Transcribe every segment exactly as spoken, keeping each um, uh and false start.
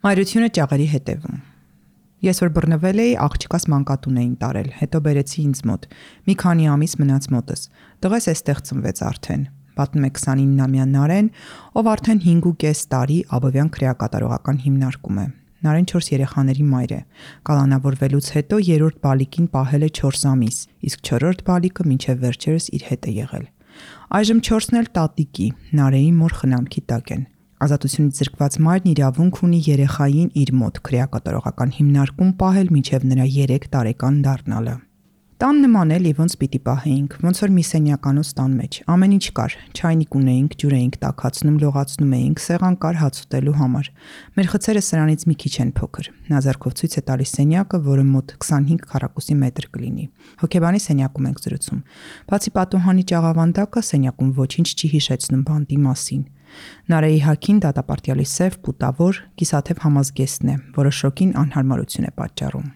Մայրությունը ճաղերի հետևում։ Ես որ բռնվել էի, աղջկաս մանկատուն էին տարել, հետո բերեցի ինձ մոտ։ Մի քանի ամիս մնաց մոտս։ Տղես էստեղ ծնվեց արդեն։ Պատմում է քսանիննամյա Նարեն, ով արդեն հինգ ու կես տարի Աբովյան քրեակատարողական հիմնարկում է։ Նարեն չորս երեխաների մայր է։ Կալանավորվելուց հետո երրորդ բալիկին պահել է չորս ամիս, իսկ չորրորդ բալիկը մինչև վերջերս իր հետ է եղել։ Այժմ չորսն էլ տատիկի, Նարեի մոր խնամքի տակ են։ Ազատությունից զրկված մայրն իրավունք ունի երեխային իր մոտ քրեակատարողական հիմնարկում պահել մինչև նրա երեք տարեկան դառնալը։ Տան նման էլի ոնց պիտի պահեինք, ոնց որ մի սենյականոց տան մեջ։ Ամեն ինչ կար, չայնիկ ունեինք, ջուր էինք տաքացնում, լողացնում էինք, սեղան կար հաց ուտելու համար։ Մեր խցերը սրանից մի քիչ են փոքր։ Նա ձեռքով ցույց է տալիս սենյակը, որը մոտ քսանհինգ քառակուսի մետր կլինի։ Հոգեբանի սենյակում ենք զրուցում։ Բացի պատուհանի ճաղավանդակը, սենյակում ոչինչ չի հիշեցնում բանտի մասին։ Նարեի հագին դատապարտյալի սև, պուտավոր, կիսաթև համազգեստն է, որը շոկին անհարմարություն է պատճառում։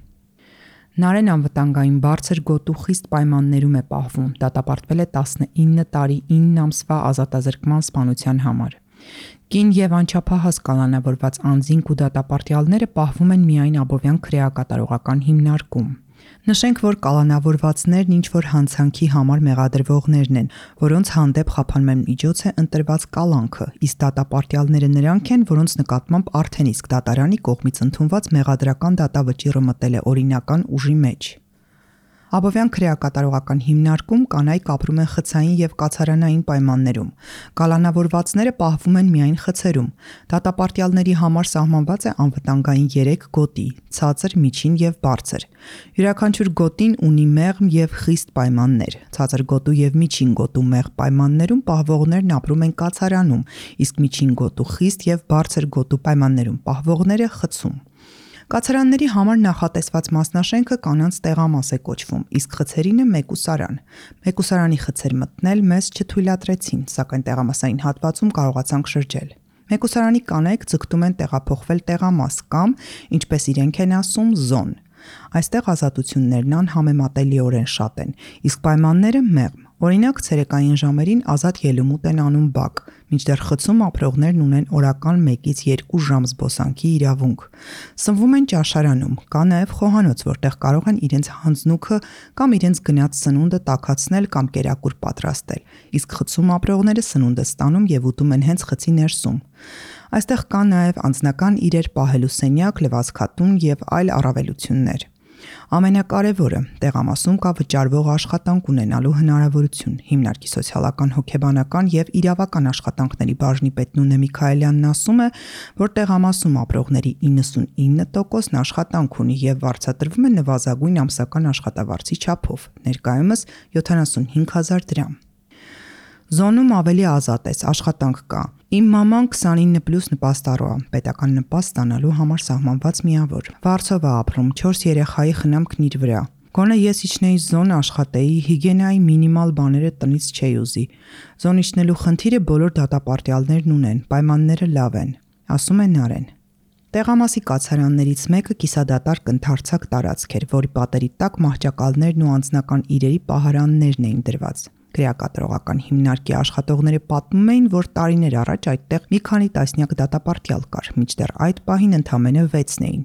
Նարեն անվտանգային բարձր գոտու խիստ պայմաններում է պահվում, դատապարտվել է տասնինը տարի ինը ամսվա ազատազրկման սպանության համար։ Կին և անչափահաս կալանավորված անձինք ու դատապարտյալները պահվում են միայն Աբովյան քրեակատարողական հիմնարկում։ Նշենք, որ կալանավորվածներն ինչ-որ հանցանքի համար մեղադրվողներն են, որոնց հանդեպ խափանման միջոց է ընտրված կալանքը, իսկ դատապարտյալները նրանք են, որոնց նկատմամբ արդեն իսկ դատարանի կողմից ընդունված մեղադրական դատավճիռը մտել է օրինական ուժի մեջ։ Աբովյան քրեակատարողական հիմնարկում կանայք ապրում են խցային և կացարանային պայմաններում։ Կալանավորվածները պահվում են միայն խցերում։ Դատապարտյալների համար սահմանված է անվտանգային երեք գոտի՝ ցածր, միջին և բարձր։ Յուրաքանչյուր գոտին ունի մեղմ և խիստ պայմաններ։ Ցածր գոտու և միջին գոտու մեղմ պայմաններում պահվողներն ապրում են կացարանում, իսկ միջին գոտու խիստ և բարձր գոտու պայմաններում պահվողները խցում։ Կացարանների համար նախատեսված մասնաշենքը կանանց տեղամաս է կոչվում, իսկ խցերինը մեկուսարան։ Մեկուսարանի խցեր մտնել մեզ չթույլատրեցին, սակայն տեղամասային հատվածում կարողացանք շրջել։ Մեկուսարանի կանայք ձգտում են տեղափոխվել տեղամաս կամ, ինչպես իրենք են ասում, զոն։ Այստեղ ազատություններն անհամեմատելիորեն շատ են, իսկ պայմանները մեղմ։ Օրինակ, ցերեկային ժամերին ազատ ելումուտ են անում բակ, մինչդեռ խցում ապրողներն ունեն օրական մեկից երկու ժամ զբոսանքի իրավունք։ Սնվում են ճաշարանում, կա նաև խոհանոց, որտեղ կարող են իրենց հանձնուքը կամ իրենց գնած սնունդը տաքացնել կամ կերակուր պատրաստել, իսկ խցում ապրողները սնունդը ստանում և ուտում են հենց խցի ներսում։ Այստեղ կա նաև անձնական իրեր պահելու սենյակ, լվացքատուն և այլ առավելություններ։ Ամենակարևորը, տեղամասում կա վճարվող աշխատանք ունենալու հնարավորություն։ Հիմնարկի սոցիալական, հոգեբանական և իրավական աշխատանքների բաժնի պետ Նունե Միքայելյանն ասում է, որ տեղամասում ապրողների իննսունինը տոկոսն աշխատանք ունի և վարձատրվում է նվազագույն ամսական աշխատավարձի չափով, ներկայումս յոթանասունհինգ հազար դրամ։ Զոնում ավելի ազատ ես, աշխատանք կա։ Իմ մաման քսանինը պլյուս նպաստառու է, պետական նպաստ ստանալու համար սահմանված միավոր։ Վարձով է ապրում, չորս երեխայի խնամքն իր վրա։ Գոնե ես իջնեի զոն աշխատեի, հիգիենայի մինիմալ բաները տնից չէի ուզի։ Զոն իջնելու խնդիրը բոլոր դատապարտյալներն ունեն, պայմանները լավ են, ասում է Նարեն։ Տեղամասի կացարաններից մեկը կիսադատարկ ընդարձակ տարածք էր, որի պատերի տակ մահճակալներն ու անձնական իրերի պահարաններն էին դրված։ Քրեակատարողական հիմնարկի աշխատողները պատմում էին, որ տարիներ առաջ այդտեղ մի քանի տասնյակ դատապարտյալ կար, մինչդեռ այդ պահին ընդամենը վեցն էին,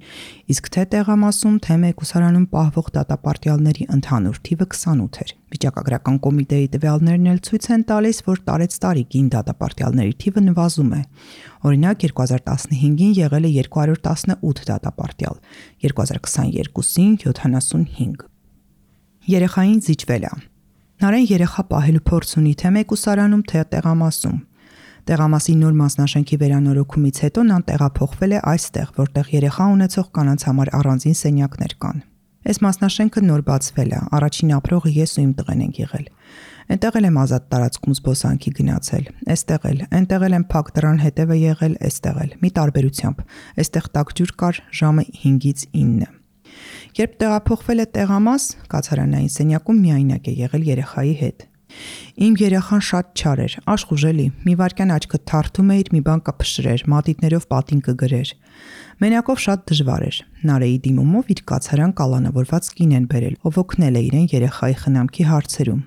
իսկ թե տեղամասում, թե մեկուսարանում պահվող դատապարտյալների ընդհանուր թիվը քսանութ էր։ Վիճակագրական կոմիտեի տվյալներն էլ ցույց են տալիս, որ տարեցտարի կին դատապարտյալների թիվը նվազում է։ Օրինակ երկու հազար տասնհինգին եղել է երկու հարյուր տասնութ դատապարտյալ, երկու հազար քսաներկուսին յոթանասունհինգ։ Երեխային զիջվել է։ Նարեն երեխա պահելու փորձ ունի թե մեկուսարանում, թե տեղամասում։ Տեղամասի նոր մասնաշենքի վերանորոգումից հետո նա տեղափոխվել է այստեղ, որտեղ երեխա ունեցող կանանց համար առանձին սենյակներ կան։ Այս մասնաշենքը նոր բացվել է, առաջին ապրողը ես ու իմ տղեն ենք եղել։ Էնտեղ էլ եմ ազատ տարածքում զբոսանքի գնացել, էստեղ էլ, էնտեղ էլ եմ փակ դռան հետևը եղել, էստեղ էլ, մի տարբերությամբ, էստեղ տաք ջուր կար ժամը հինգից ինը։ Երբ տեղափոխվել է տեղամաս, կացարանային սենյակում միայնակ է եղել երեխայի հետ։ Իմ երեխան շատ չար էր, աշխուժելի, մի վայրկյան աչքդ թարթում էիր, մի բան կփշրեր, մատիտներով պատին կգրեր։ Մենակով շատ դժվար էր։ Նարեի դիմումով իր կացարան կալանավորված կին են բերել, ով օգնել է իրեն երեխայի խնամքի հարցերում։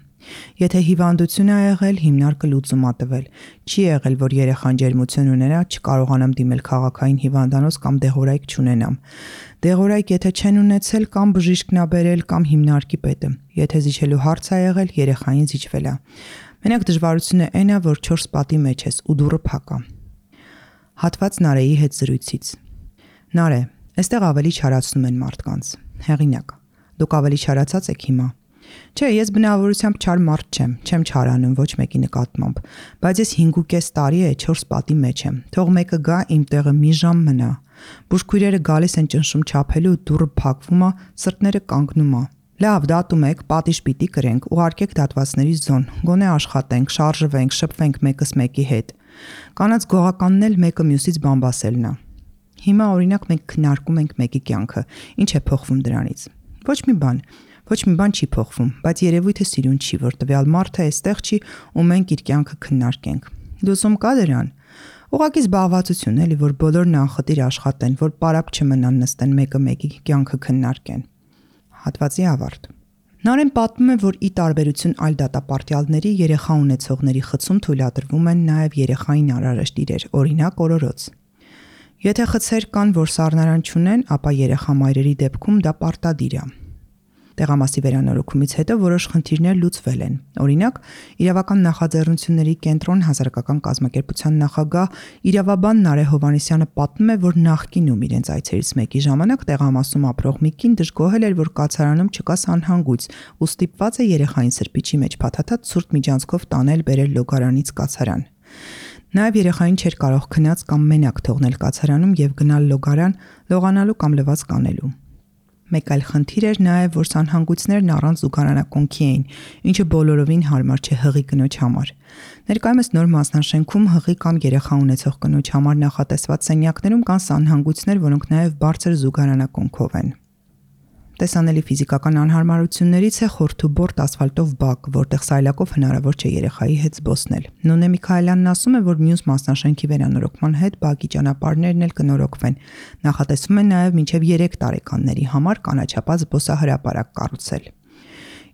Եթե հիվանդություն է եղել, հիմնարկը լուծում ա տվել։ Չի եղել, որ երեխան ջերմություն ունենա, չկարողանամ դիմել քաղաքային հիվանդանոց կամ դեղորայք չունենամ։ Դեղորայք եթե չեն ունեցել, կամ բժիշկն ա բերել, կամ հիմնարկի պետը։ Եթե զիջելու հարց ա եղել, երեխային զիջվել ա։ Մենակ դժվարությունը այն ա, որ չորս պատի մեջ ես ու դուռը փակ ա։ Հատված Նարեի հետ զրույցից։ Նարե, այստեղ ավելի չարացնում են մարդկանց։ Հեղինակ։ Դուք ավելի չարացած եք հիմա։ Չէ, ես բնավորությամբ չար մարդ չեմ, չեմ չարանում ոչ մեկի նկատմամբ, բայց ես հինգ ու կես տարի է չորս պատի մեջ եմ։ Թող մեկը գա իմ տեղը մի ժամ մնա։ Բուժքույրերը գալիս են ճնշում չափելու, դուռը փակվում ա, սրտները կանգնում ա։ Լավ, դատում եք, պատիժ պիտի կրենք, ուղարկեք դատվածների զոն, գոնե աշխատենք, շարժվենք, շփվենք մեկս մեկի հետ։ Կանաց գողականն էլ մեկը մյուսից բամբասելն ա։ Հիմա օրինակ մենք քննարկում ենք մեկի կյանքը, ինչ է փոխվում դրանից։ Ոչ մի բան։ Ոչ մի բան չի փոխվում, բայց երևույթը սիրուն չի, որ տվյալ մարդը այստեղ չի ու մենք իր կյանքը քննարկենք։ Դուսում կա դրան։ Ուղղակի զբաղվածություն էլի, որ բոլորն անխտիր աշխատեն, որ պարապ չմնան նստեն մեկը մեկի կյանքը քննարկեն։ Հատվածի ավարտ։ Նարեն պատմում է, որ ի տարբերություն այլ դատապարտյալների երեխա ունեցողների խցում թույլատրվում են նաև երեխային անհրաժեշտ իրեր, օրինակ օրորոց։ Եթե խցեր կան, որ սառնարան չունեն, ապա երեխա մայրերի դեպքում դա պարտադիր է։ Տեղամասի վերանորոգումից հետո որոշ խնդիրներ լուծվել են։ Օրինակ, իրավական նախաձեռնությունների կենտրոն հասարակական կազմակերպության նախագահ իրավաբան Նարե Հովհաննիսյանը պատմում է, որ նախկինում իրենց այցերից մեկի ժամանակ տեղամասում ապրող մի կին դժգոհել էր, որ կացարանում չկա սանհանգույց ու ստիպված է երեխային սրբիչի մեջ փաթաթած ցուրտ միջանցքով տանել բերել լոգարանից կացարան։ Նաև երեխային չէր կարող քնած կամ մենակ թողնել կացարանում եւ գնալ լոգարան լողանալու կամ լվաց կանելու։ Մեկ այլ խնդիր էր նաև, որ սանհանգույցներն առանց զուգարանակոնքի էին, ինչը բոլորովին հարմար չէ հղի կնոջ համար։ Ներկայումս նոր մասնաշենքում հղի կամ երեխա ունեցող կնոջ համար նախատեսված սենյակներում կան սանհանգույցներ, որոնք նաև բարձր զուգարանակոնքով են։ Տեսանելի ֆիզիկական անհարմարություններից է խորթուբորտ ասֆալտով բակ, որտեղ սայլակով հնարավոր չէ երեխայի հետ զբոսնել։ Նոնե Միքայելյանն ասում է, որ մյուս մասնաշենքի վերանորոգման հետ բակի ճանապարհներն էլ կնորոգվեն։ Նախատեսվում է նաև մինչև երեք տարեկանների համար կանաչապատ զբոսահրապարակ կառուցել։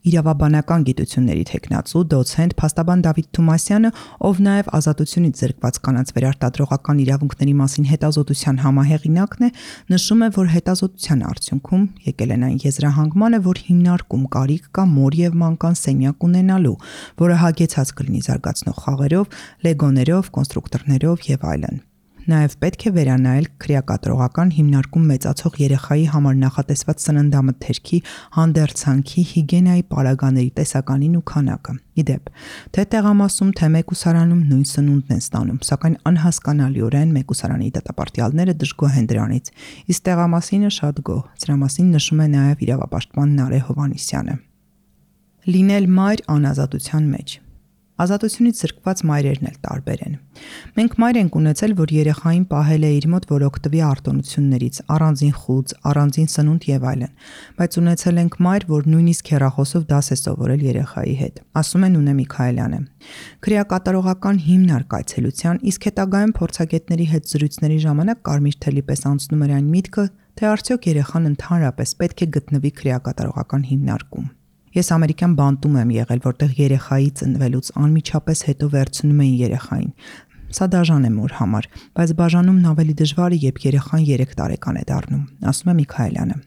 Իրավաբանական գիտությունների թեկնածու դոցենտ փաստաբան Դավիթ Թումասյանը, ով նաև ազատությունից զրկված կանանց վերարտադրողական իրավունքների մասին հետազոտության համահեղինակն է, նշում է, որ հետազոտության արդյունքում եկել են այն եզրահանգմանը, որ հիմնարկում կարիք կա մոր եւ մանկան սենյակ ունենալու, որը հագեցած կլինի զարգացնող խաղերով, լեգոներով, կոնստրուկտորներով եւ այլն։ Նաև պետք է վերանայել քրեակատարողական հիմնարկում մեծացող երեխայի համար նախատեսված սննդամթերքի, հանդերձանքի, հիգիենայի պարագաների տեսականին ու քանակը։ Իդեպ, թե տեղամասում, թե մեկուսարանում նույն սնունդն են ստանում, սակայն անհասկանալիորեն մեկուսարանի դատապարտյալները դժգոհ են դրանից, իսկ տեղամասինը շատ գոհ։ Սրա մասին նշում է նաև իրավապաշտպան Նարե Հովհաննիսյանը։ Լինել մայր անազատության մեջ։ Ազատությունից զրկված մայրերն էլ տարբեր են։ Մենք մայր ենք ունեցել, որ երեխային պահել է իր մոտ, որ օգտվի արտոնություններից, առանձին խուծ, առանձին սնունդ եւ այլն, բայց ունեցել ենք մայր, որ նույնիսկ հեռախոսով դաս է սովորել երեխայի հետ, ասում է Նունե Միքայելյանը։ Քրեակատարողական հիմնարկ այցելության, իսկ հետագայում փորձագետների հետ զրույցների ժամանակ կարմիր թելի պես անցնում էր այն միտքը, թե արդյոք երեխան ընդհանրապես պետք է գտնվի քրեակատարողական հիմնարկում։ Ես ամերիկյան բանտում եմ եղել, որտեղ երեխայի ծնվելուց անմիջապես հետո վերցնում էին երեխային։ Սա դաժան է մոր համար, բայց բաժանումն ավելի դժվար է, երբ երեխան երեք տարեկան է դառնում, ասում է Միքայելյանը։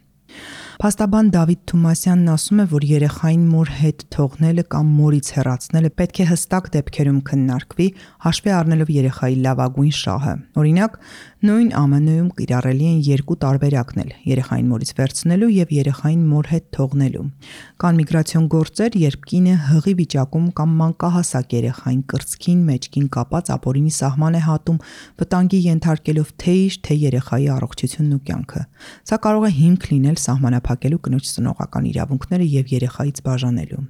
Փաստաբան Դավիթ Թումասյանն ասում է, որ երեխային մոր հետ թողնելը կամ մորից հեռացնելը պետք է հստակ դեպքերում քննարկվի, հաշվի առնելով երեխայի լավագույն շահը։ Օրինակ, նույն Ամն Ում կիրառելի են երկու տարբերակներ՝ երեխային մորից վերցնելու եւ երեխային մոր հետ թողնելու։ Կան միգրացիոն գործեր, երբ կինը հղի վիճակում կամ մանկահասակ երեխային կրծքին, մեջքին կապած ապօրինի սահման է հատում, վտանգի ենթարկելով թե իր, թե երեխայի առողջությունն ու կյանքը։ Սա կարող է հիմք լինել սահմանափակելու կնոջ ծնողական իրավունքները եւ երեխայից բաժանելու։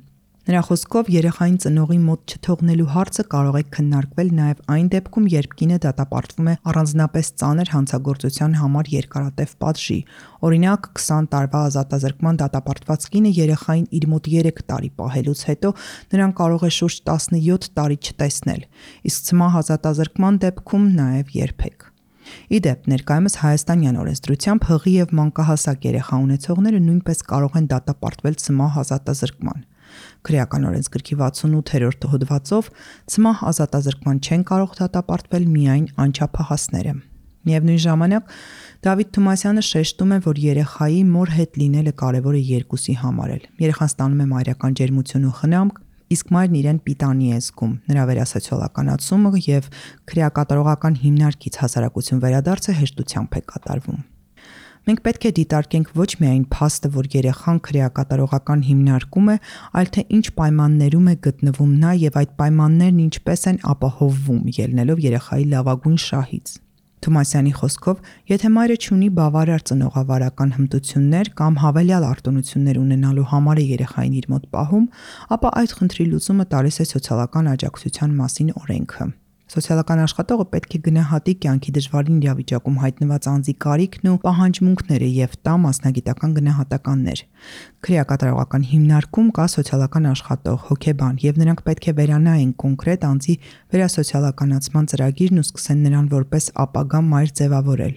Նրա խոսքով երեխային ծնողի մոտ չթողնելու հարցը կարող է քննարկվել նաև այն դեպքում, երբ կինը դատապարտվում է առանձնապես ծանր հանցագործության համար երկարատև պատժի։ Օրինակ, քսան տարվա ազատազրկման դատապարտված կինը երեխային իր մոտ երեք տարի պահելուց հետո նրան կարող է շուրջ տասնյոթ տարի չտեսնել, իսկ ցմահ ազատազրկման դեպքում նաև երբեք։ Իդեպ, ներկայումս հայաստանյան օրենսդրությամբ հղի եւ մանկահասակ երեխա ունեցողները նույնպես կարող են դատապարտվել ցմահ ազատազրկման։ Քրեական օրենսգրքի վաթսունութերորդ հոդվածով ցմահ ազատազրկման չեն կարող դատապարտվել միայն անչափահասները։ Միևնույն ժամանակ Դավիթ Թումասյանը շեշտում է, որ երեխայի մոր հետ լինելը կարևոր է երկուսի համար էլ։ Երեխան ստանում է մայրական ջերմություն ու խնամք, իսկ մայրն իրեն պիտանի է զգում, նրա վերասոցիալականացումը եւ քրեակատարողական հիմնարկից հասարակություն վերադարձը հեշտությամբ է կատարվում։ Մենք պետք է դիտարկենք ոչ միայն փաստը, որ երեխան քրեակատարողական հիմնարկում է, այլ թե ինչ պայմաններում է գտնվում նա եւ այդ պայմաններն ինչպես են ապահովվում, ելնելով երեխայի լավագույն շահից։ Թումասյանի խոսքով, եթե մայրը չունի բավարար ծնողավարական հմտություններ կամ հավելյալ արտոնություններ ունենալու համար է երեխային իր մոտ պահում, ապա այդ խնդրի լուծումը տալիս է սոցիալական աջակցության մասին օրենքը։ Սոցիալական աշխատողը պետք է գնահատի կյանքի դժվարին իրավիճակում հայտնված անձի կարիքն ու պահանջմունքները եւ տա մասնագիտական գնահատականներ։ Քրեակատարողական հիմնարկում կա սոցիալական աշխատող, հոգեբան եւ նրանք պետք է վերանայեն կոնկրետ անձի վերասոցիալականացման ծրագիրն ու սկսեն նրան որպես ապագա մայր ձևավորել։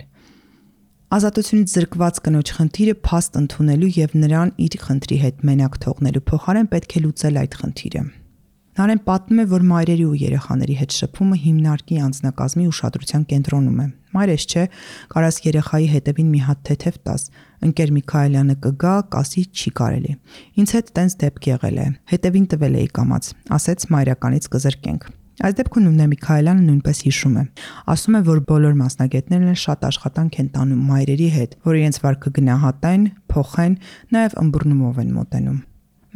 Ազատությունից զրկված կնոջ խնդիրը փաստ ընդունելու եւ նրան իր խնդրի հետ մենակ թողնելու փոխարեն պետք է լուծել այդ խնդիրը։ Նարեն պատմում է, որ մայրերի ու երեխաների հետ շփումը հիմնարկի անձնակազմի ուշադրության կենտրոնում է։ Մայրես չէ, կարաս երեխայի հետևին մի հատ թեթև տաս, ընկեր Միքայելյանը կգա, կասի չի կարելի։ Ինձ հետ տենց դեպք եղել է, հետևին տվել էի կամաց, ասեց մայրականից կզրկենք։ Այս դեպքում Նունե Միքայելյանը նույնպես հիշում է։ Ասում է, որ բոլոր մասնագետներն շատ աշխատանք են տանում մայրերի հետ, որ իրենց վարքը գնահատեն, փոխեն, նաև ըմբռնումով են մոտենում։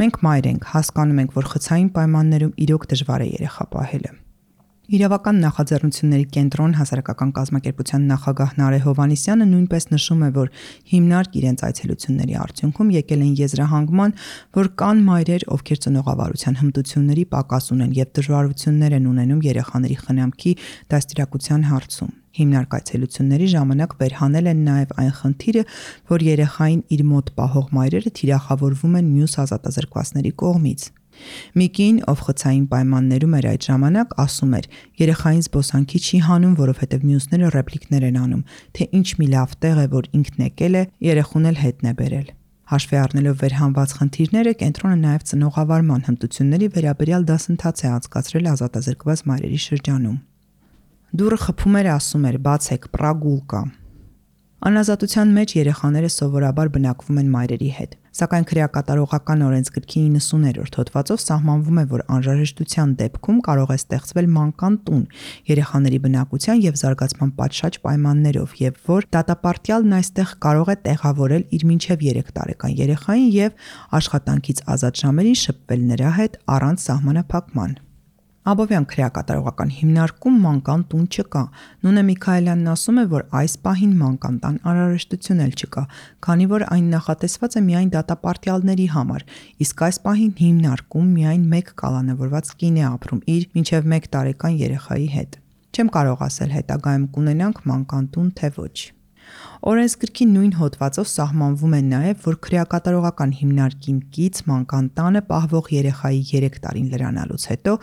Մենք մայր ենք, հասկանում ենք, որ խցային պայմաններում իրոք դժվար է երեխա պահելը։ Իրավական նախաձեռնությունների կենտրոն հասարակական կազմակերպության նախագահ Նարե Հովհաննիսյանը նույնպես նշում է, որ հիմնարկ իրենց այցելությունների արդյունքում եկել են եզրահանգման, որ կան մայրեր, ովքեր ծնողավարության հմտությունների պակաս ունեն եւ դժվարություններ են ունենում երեխաների խնամքի դաստիարակության հարցում։ Հիմնարկ այցելությունների ժամանակ վերհանել են նաև այն խնդիրը, որ երեխային իր մոտ պահող մայրերը թիրախավորվում են մյուս ազատազրկվածների կողմից։ Մի կին, ով խցային պայմաններում էր այդ ժամանակ, ասում էր. երեխային զբոսանքի չի հանում, որովհետև մյուսները ռեպլիկներ են անում, թե ինչ մի լավ տեղ է, որ ինքն եկել է, երեխուն էլ հետն է բերել։ Հաշվի առնելով վերհանված խնդիրները, կենտրոնը նաև ծնողավարման հմտությունների վերաբերյալ դասընթաց է անցկացրել ազատազրկված մայրերի շրջանում։ Դուրը խփում էր, ասում էր. բացեք, պրագուլկա։ Անազատության մեջ երեխաները սովորաբար բնակվում են մայրերի հետ, սակայն քրեակատարողական օրենսգրքի իննսուներորդ հոդվածով սահմանվում է, որ անհրաժեշտության դեպքում կարող է ստեղծվել մանկան տուն երեխաների բնակության եւ զարգացման պատշաճ պայմաններով եւ որ դատապարտյալն այստեղ կարող է տեղավորել իր մինչեւ երեք տարեկան երեխային եւ աշխատանքից ազատ ժամերին շփվել նրա հետ առանց սահմանափակման։ Աբովյան քրեակատարողական հիմնարկում մանկան տուն չկա։ Նունե Միքայելյանն ասում է, որ այս պահին մանկան տան անհրաժեշտություն էլ չկա, քանի որ այն նախատեսված է միայն դատապարտյալների համար, իսկ այս պահին հիմնարկում միայն մեկ կալանավորված կին է ապրում իր մինչև մեկ տարեկան երեխայի հետ։ Չեմ կարող ասել հետագայում կունենանք մանկան տուն, թե ոչ։ Օրենսգրքի նույն հոդվածով սահմանվում է նաև, որ քրեակատարողական հիմնարկին կից մանկան տանը պահվող երեխայի երեք տարին լրանալուց հետո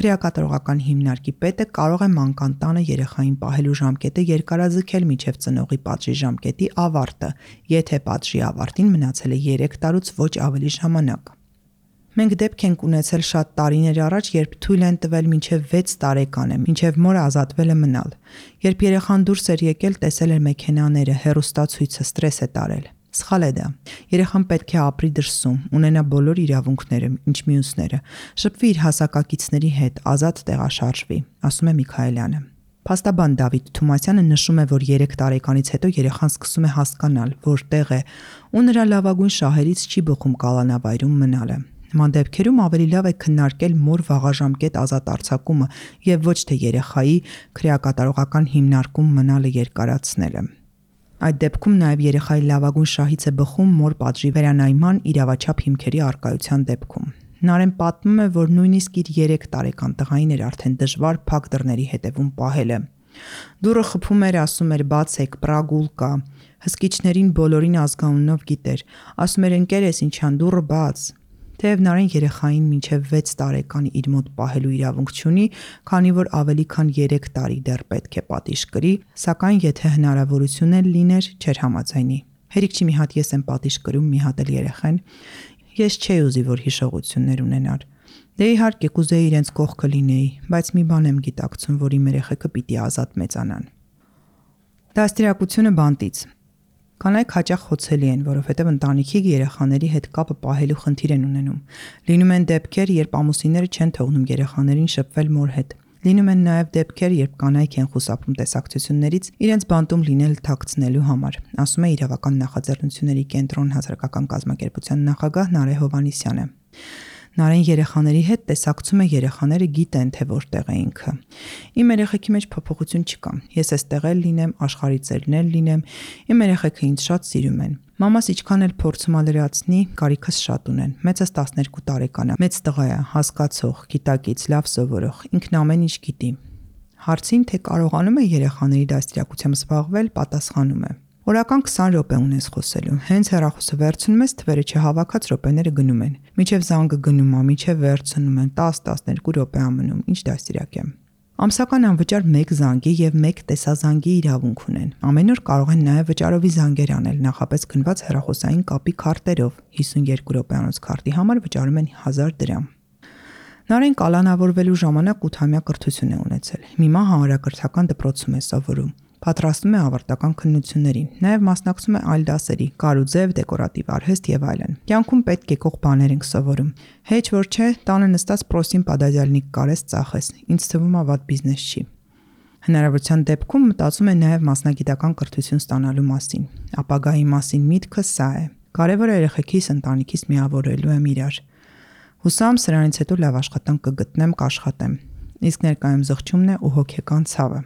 քրեակատարողական հիմնարկի պետը կարող է մանկան տանը երեխային պահելու ժամկետը երկարաձգել մինչև ծնողի պատժի ժամկետի ավարտը, եթե պատժի ավարտին մնացել է երեք տարուց ոչ ավելի ժամանակ։ Մենք դեպք ենք ունեցել շատ տարիներ առաջ, երբ թույլ են տվել մինչև վեց տարեկանը, մինչև մորը ազատվել է մնալ։ Երբ երեխան դուրս էր եկել, տեսել էր մեքենաները, հեռուստացույցը, ստրես է տարել։ Սխալ է դա։ Երեխան պետք է ապրի դրսում, ունենա բոլոր իրավունքները, ինչ մյուսները, շփվի իր հասակակիցների հետ, ազատ տեղաշարժվի, ասում է Միքայելյանը։ Փաստաբան Դավիթ Թումասյանը նշում է, որ երեք տարեկանից հետո երեխան սկսում է հասկանալ, որտեղ է, ու նրա լավագույն շահերից չի բխում կալանավայրում մնալը։ Նման դեպքերում ավելի լավ է քննարկել մոր վաղաժամկետ ազատ արձակումը եւ ոչ թե երեխայի քրեակատարողական հիմնարկում մնալը երկարացնելը։ Այդ դեպքում նաև երեխայի լավագույն շահից է բխում մոր պատժի վերանայման իրավաչափ հիմքերի առկայության դեպքում։ Նարեն պատմում է, որ նույնիսկ իր երեք տարեկան տղային էր արդեն դժվար փակ դռների հետևում պահելը։ Դուրը խփում էր, ասում էր բացեք, պրագուլկա։ Հսկիչներին բոլորին ազգանունով գիտեր, ասում էր ընկերես ինչան դուրը բաց։ Թեև Նարեն երեխային մինչև վեց տարեկան իր մոտ պահելու իրավունք չունի, քանի որ ավելի քան երեք տարի դեռ պետք է պատիժ կրի, սակայն եթե հնարավորություն էլ լիներ, չէր համաձայնի։ Հերիք չի մի հատ ես եմ պատիժ կրում, մի հատ էլ երեխան։ Ես չէի ուզի, որ հիշողություններ ունենար։ Դե իհարկե կուզեի իրենց կողքը լինեի, բայց մի բան եմ գիտակցում, որ իմ երեխեքը պիտի ազատ մեծանան։ Դաստիարակությունը բանտից։ Կանայք հաճախ խոցելի են, որովհետև ընտանիքի երեխաների հետ կապը պահելու խնդիր են ունենում։ Լինում են դեպքեր, երբ ամուսինները չեն թողնում երեխաներին շփվել մոր հետ։ Լինում են նաև դեպքեր, երբ կանայք են խուսափում տեսակցություններից իրենց բանտում լինել թաքցնելու համար, ասում է Իրավական նախաձեռնությունների կենտրոն հասարակական կազմակերպության նախագահ Նարէ Հովհաննիսյանը։ Նարէն երեխաների հետ տեսակցում է երեխաները գիտեն, թե որտեղ է ինքը։ Իմ երեխեքի մեջ փոփոխություն չկա։ Ես էստեղ էլ լինեմ, աշխարհի ծերն էլ լինեմ, իմ երեխեքը ինձ շատ սիրում են։ Մամաս ինչքան էլ փորձում ալերացնի, կարիքս շատ ունեն։ Մեծս տասներկու տարեկան է, մեծ տղա է, հասկացող, գիտակից, լավ սովորող, ինքն ամեն ինչ գիտի։ Հարցին, թե կարողանում է երեխաների դաստիարակությամբ զբաղվել, պատասխանում է. Օրական քսան րոպե ունես խոսելու։ Հենց հեռախոսը վերցնում ես, թվերը չհավաքած րոպեները գնում են։ Միջև զանգը գնում է, միջև վերցնում են դես տասներկու րոպե ամնում։ Ինչ դաստիարակ եմ։ Ամսական անվճար մեկ զանգի եւ մեկ տեսազանգի իրավունք ունեն։ Ամեն օր կարող են նաեւ վճարովի զանգեր անել, նախապես գնված հեռախոսային կապի քարտերով։ հիսունյոթ րոպեանոց քարտի համար վճարում են հազար դրամ։ Նարէն կալանավորվելու ժամանակ ութամյա կրթություն է ունեցել։ Հիմա հանրակրթական դպրոցում է սովորում։ Պատրաստում է ավարտական քննություններին, նաև մասնակցում է այլ դասերի՝ կարուձև, դեկորատիվ արհեստ եւ այլն։ Կյանքում պետք եկող բաներ ենք սովորում։ Հեչ որ չէ, տանը նստած պրոսին պադաջալնիկ կարես ծախես։ Ինձ թվում է վատ բիզնես չի։ Հնարավորության դեպքում մտածում է նաև մասնագիտական կրթություն ստանալու մասին։ Ապագայի մասին միտքը սա է։ Կարևորը երեխեքիս ընտանիքիս միավորելու եմ իրար։ Հուսամ սրանից հետո լավ աշխատանք կգտնեմ, կաշխատեմ։ Իսկ ներկայում զղջումն է ու հոգեկան ցավը։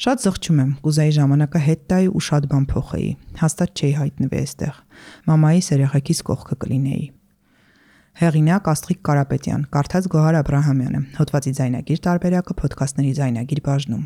Շատ զղջում եմ, կուզեի ժամանակը հետ տայի ու շատ բան փոխեի։ Հաստատ չէի հայտնվի այստեղ։ Մամայիս երեխեքիս կողքը կլինեի։ Հեղինակ Աստղիկ Կարապետյան, կարդաց Գոհար Աբրահամյանը, հոդվածի ձայնագիր տարբերակը Փոդքասթների ձայնագիր բաժնում։